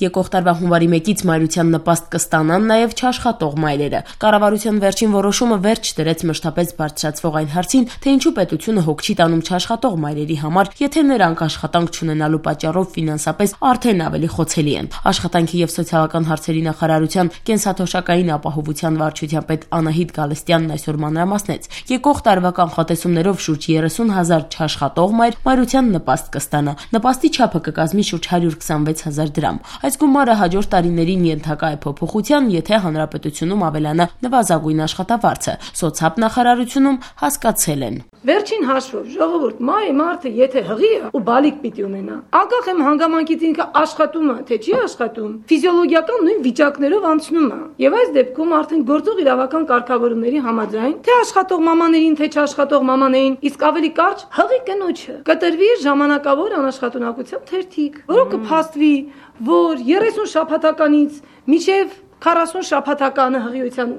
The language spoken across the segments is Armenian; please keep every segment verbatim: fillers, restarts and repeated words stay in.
Եկող տարվա հունվարի մեկից մայրության նպաստ կստանան նաև չաշխատող մայրերը։ Կառավարության վերջին որոշումը վերջ դրեց մշտապես բարձրացվող այն հարցին, թե ինչու պետությունը հոգ չի տանում չաշխատող մայրերի համար, եթե նրանք աշխատանք չունենալու պատճառով ֆինանսապես արդեն ավելի խոցելի են։ Աշխատանքի եւ սոցիալական հարցերի նախարարության կենսաթոշակային ապահովության վարչության պետ Անահիտ Գալստյանն այսօր մանրամասնեց. եկող տարվա կանխատեսումներով շուրջ երեսուն հազար չաշխատող մայր մայրության նպաստ կստանա։ Նպաստի չափը կկազմի շուրջ հարյուր քսանվեց հազար դրամ։ Այս գումարը հաջորդ տարիներին ենթակա է փոփոխության, եթե հանրապետությունում ավելանա նվազագույն աշխատավարձը։ Սոցհաբ նախարարությունում հասկացել են. Վերջին հաշվով ժողովուրդ մայր մարդը եթե հղի է ու բալիկ պիտի ունենա, անկախ եմ հանգամանքից ինքը աշխատում է, թե չի աշխատում, ֆիզիոլոգիական նույն վիճակներով անցնում է։ Եվ այս դեպքում արդեն գործող իրավական կարգավորումների համաձայն, թե աշխատող մամաներին, թե չաշխատող մամաներին, իսկ ավելի կարճ հղի կնոջը կտրվի ժամանակավոր անաշխատունակության թերթիկ, որը կփաստվի, որ երեսուն շաբաթականից մինչև քառասուն շաբաթականը հղիության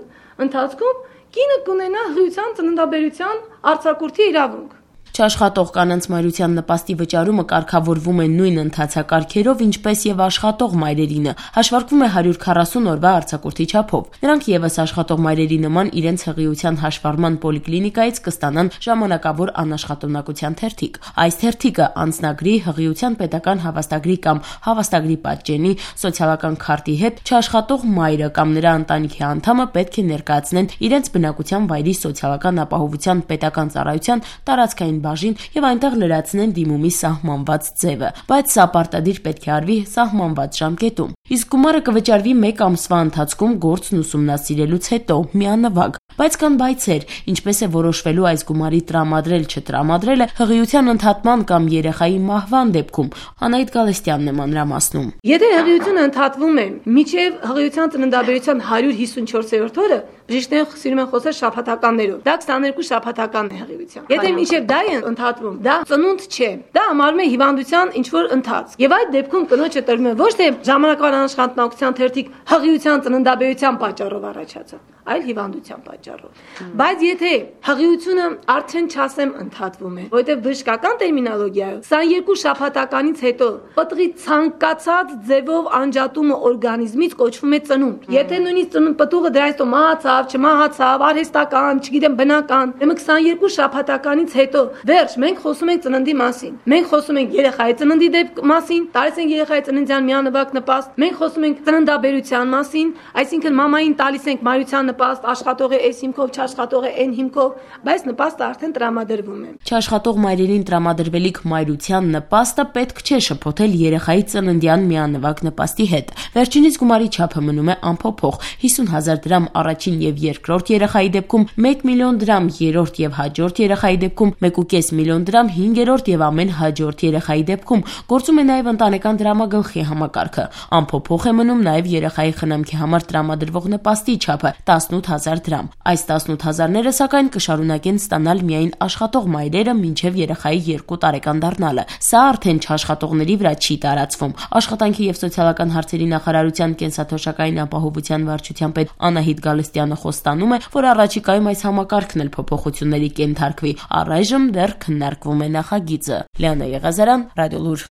ընթացքում կինը կունենա հղիության ծննդաբերության արձակուրդի իրավունք։ Չաշխատող կանանց մայրության նպաստի վճարումը կարգավորվում է նույն ընթացակարգերով, ինչպես եւ աշխատող մայրերինը, հաշվարկվում է հարյուր քառասուն օրվա արձակուրդի չափով։ Նրանք եւս աշխատող մայրերի նման իրենց հղիության հաշվառման պոլիկլինիկայից կստանան ժամանակավոր անաշխատունակության թերթիկ։ Այս թերթիկը անձնագրի, հղիության պետական հավաստագրի կամ հավաստագրի պատճենի, սոցիալական քարտի հետ չաշխատող մայրը կամ նրա ընտանիքի անդամը պետք է ներկայացնեն իրենց բնակության վայրի սոցիալական ապահովության պետական ծառայության տարածքային բաժին եւ այնտեղ լրացնեն դիմումի սահմանված ձևը, բայց սա պարտադիր պետք է արվի սահմանված ժամկետում։ Իսկ գումարը կվճարվի մեկ ամսվա ընթացքում գործն ուսումնասիրելուց հետո միանվագ։ Բայց կան բայցեր, ինչպես է որոշվելու այս գումարի տրամադրել չտրամադրելը հղիության ընդհատման կամ երեխայի մահվան դեպքում։ Անահիտ Գալստյանն է մանրամասնում. Եթե հղիությունը ընդհատվում է մինչև հղիության ծննդաբերության հարյուր հիսունչորսերորդ օրը, բժիշկները սիրում են խոսել շաբաթականներով։ Դա քսաներկու շաբաթականն է հղիության։ Եթե մինչև դա է ընդհատվում, դա ծնունդ չէ։ Դա համարվում է հիվանդության ինչ-որ ընթաց։ Եվ այդ դեպքում կնոջը տրվում է ոչ թե ժամանակավոր անաշխատունակության թերթիկ հղիության ծննդաբերության պատճառով առաջացած, այլ հիվանդության պատճառով։ Բայց եթե հղիությունը արդեն չասեմ ընդհատվում է, որովհետև բժշկական տերմինոլոգիայով քսաներկու շաբաթականից հետո պտղի ցանկացած ձևով անջատումը օրգանիզմից կոչվում է ծնունդ։ Եթե նույնիսկ ծնունդ պտուղը դրանից հետո մահացավ, չմահացավ, արհեստական, չգիտեմ, բնական, ուրեմն քսաներկու շաբաթականից հետո վերջ մենք խոսում ենք ծննդի մասին։ Մենք խոսում ենք երեխայի ծննդի դեպք մասին, տալիս ենք երեխայի ծննդյան միանվագ նպաստ։ Մենք խոսում ենք ծննդաբերության մասին, այսինքն մամային տալիս ենք մայրության նպաստ, աշխատող է այս հիմքով, չաշխատող է այն հիմքով, բայց նպաստը արդեն տրամադրվում է։ Չաշխատող մայրերին տրամադրվելիք մայրության նպաստը պետք չէ շփոթել երեխայի ծննդյան միանվագ նպաստի հետ։ Վերջինիս գումարի չափը մնում է անփոփոխ՝ հիսուն հազար դրամ առաջին եւ երկրորդ երեխայի դեպքում, մեկ միլիոն դրամ երրորդ եւ հաջորդ երեխայի դեպքում, մեկ ու կես միլիոն դրամ հինգերորդ եւ ամեն հաջորդ երեխայի դեպքում։ Գործում է նաեւ ընտանեկան դրամագլխի համակարգը։ Անփոփոխ է մնում նաեւ երեխայի խնամքի համար տրամադրվող նպաստի չափը՝ տասնութ հազար դրամ։ Այս տասնութ հազարները սակայն կշարունակեն ստանալ միայն աշխատող մայրերը մինչև երեխայի երկու տարեկան դառնալը։ Սա արդեն չաշխատողների վրա չի տարածվում։ Աշխատանքի եւ սոցիալական հարցերի նախարարության կենսաթոշակային ապահովության վարչության պետ Անահիտ Գալստյանը խոստանում է, որ առաջիկայում այս համակարգն էլ փոփոխությունների կենթարկվի։ Առայժմ դեռ քննարկվում է նախագիծը։ Լիանա Եղազարյան, Ռադիոլուր։